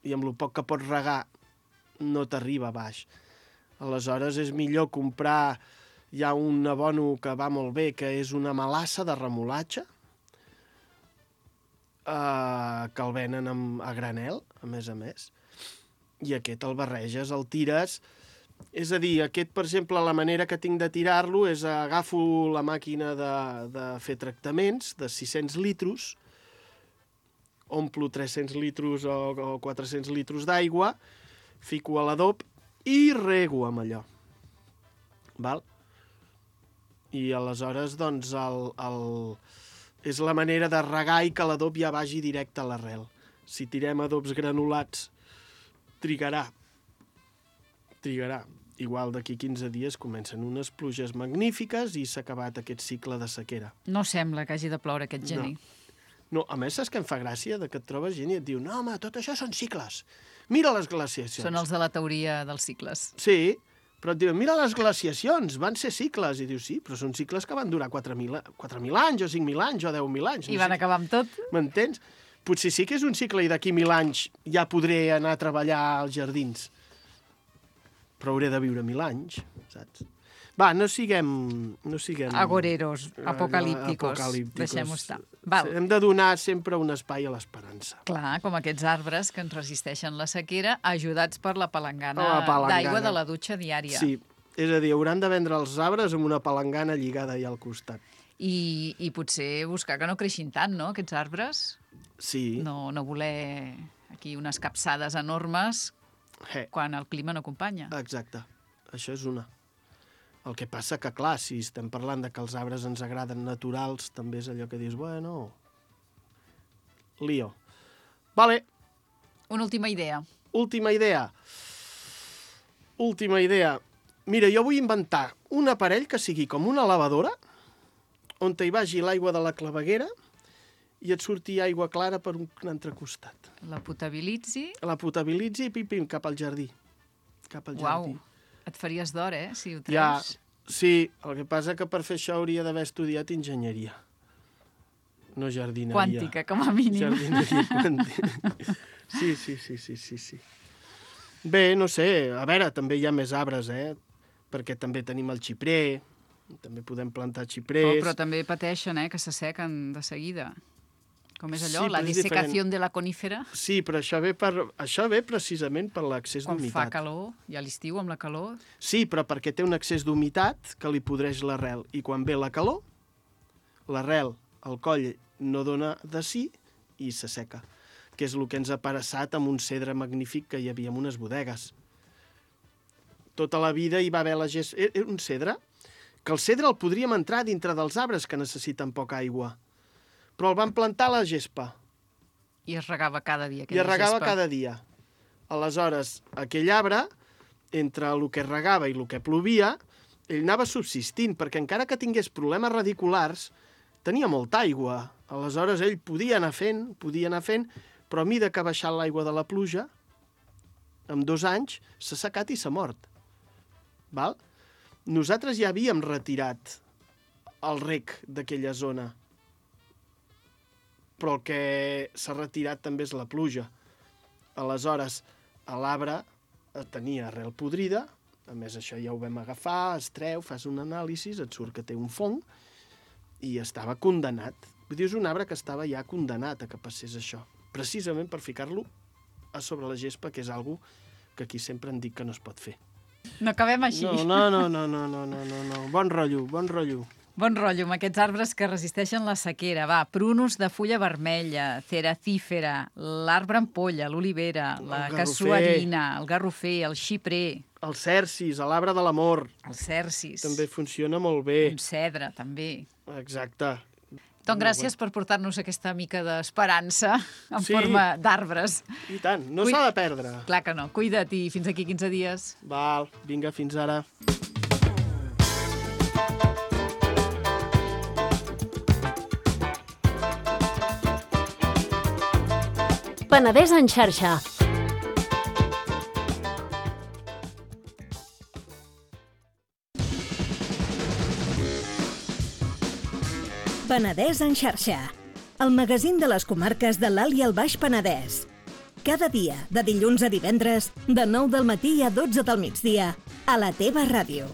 i amb el poc que pots regar no t'arriba a baix. Aleshores és millor comprar ja un abono que va molt bé, que és una melassa de remolatge, que el venen a granel, a més, i aquest el barreges, el tires. És a dir, aquest, per exemple, la manera que tinc de tirar-lo és agafo la màquina de fer tractaments de 600 litres, omplo 300 litres o 400 litres d'aigua, fico a l'adob i rego amb allò. Val? I aleshores, doncs, és la manera de regar i que l'adob ja vagi directe a l'arrel. Si tirem adobs granulats, trigarà. Igual d'aquí 15 dies comencen unes pluges magnífiques i s'ha acabat aquest cicle de sequera. No sembla que hagi de ploure aquest gener. No, a més, saps què em fa gràcia? Que et trobes gent i et diu no, home, tot això són cicles. Mira les glaciacions. Són els de la teoria dels cicles. Sí, però et diuen, mira les glaciacions, van ser cicles. I dius, sí, però són cicles que van durar 4.000 anys, o 5.000 anys, o 10.000 anys. I van acabar amb tot? M'entens? Potser sí que és un cicle i d'aquí 1.000 anys ja podré anar a treballar als jardins. Però hauré de viure 1.000 anys, saps? Va, no siguem... Agoreros, apocalípticos. Deixem-ho estar. Val. Hem de donar sempre un espai a l'esperança. Clar, com aquests arbres que ens resisteixen la sequera, ajudats per la palangana palangana d'aigua de la dutxa diària. Sí, és a dir, hauran de vendre els arbres amb una palangana lligada allà al costat. I potser buscar que no creixin tant, no?, aquests arbres. Sí. No voler aquí unes capçades enormes quan el clima no acompanya. Exacte, això és una. El que passa que, clar, si estem parlant de que els arbres ens agraden naturals, també és allò que dius, bueno, lío. Vale. Una última idea. Última idea. Mira, jo vull inventar un aparell que sigui com una lavadora, on hi vagi l'aigua de la claveguera i et surti aigua clara per un altre costat. La potabilitzi. La potabilitzi i pim-pim cap al jardí. Uau, et faries d'or, si ho treus. Ja, sí, el que passa que per fer això hauria d'haver estudiat enginyeria. No jardineria. Quàntica, com a mínim. Jardineria quàntica. Sí. Bé, no sé, a veure, també hi ha més arbres, perquè també tenim el xiprer, també podem plantar xiprers. Però també pateixen, que s'assequen de seguida. Com és allò, Sí, la però és dissecació de la conífera? Sí, però això ve precisament per l'accés Quan d'humitat. fa calor, i a l'estiu amb la calor. Sí, però perquè té un excés d'humitat que li podreix l'arrel. I quan ve la calor, l'arrel, el coll, no dona de sí i s'asseca. Que és el que ens ha passat amb un cedre magnífic que hi havia en unes bodegues. tota la vida hi va haver la gespa. Era un cedre, que el cedre el podríem entrar dintre dels arbres que necessiten poca aigua. Però el van plantar a la gespa. I es regava cada dia I aquella es regava gespa. cada dia. Aleshores, aquell arbre, entre el que es regava i el que plovia, ell anava subsistint, perquè encara que tingués problemes radiculars, tenia molta aigua. Aleshores, ell podia anar fent, però a mida que ha baixat l'aigua de la pluja, en 2 anys s'ha secat i s'ha mort. Val? Nosaltres ja havíem retirat el rec d'aquella zona, però el que s'ha retirat també és la pluja. Aleshores, l'arbre tenia arrel podrida, a més això ja ho vam agafar, es treu, fas un anàlisi, et surt que té un fong, i estava condemnat. Vull dir, és un arbre que estava ja condemnat a que passés això, precisament per ficar-lo a sobre la gespa, que és algo que aquí sempre em dic que no es pot fer. No acabem així. No. Bon rotllo. Bon rotllo amb aquests arbres que resisteixen la sequera. Va, prunus de fulla vermella, ceracífera, l'arbre ampolla, l'olivera, la casuarina, el garrofer, el xiprer. El cercis, l'arbre de l'amor. El cercis. També funciona molt bé. Un cedre, també. Exacte. Doncs gràcies per portar-nos aquesta mica d'esperança en forma d'arbres. I tant, no s'ha de perdre. Clar que no. Cuida't i fins aquí 15 dies. Val, vinga, fins ara. Penedès en xarxa. Penedès en xarxa, el magazín de les comarques de l'Alt i el Baix Penedès. Cada dia, de dilluns a divendres, de 9 del matí a 12 del migdia, a la teva ràdio.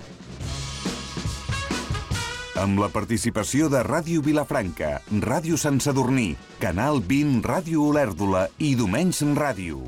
Amb la participació de Ràdio Vilafranca, Ràdio Sant Sadurní, Canal 20 Ràdio Olèrdola i Domenys Ràdio.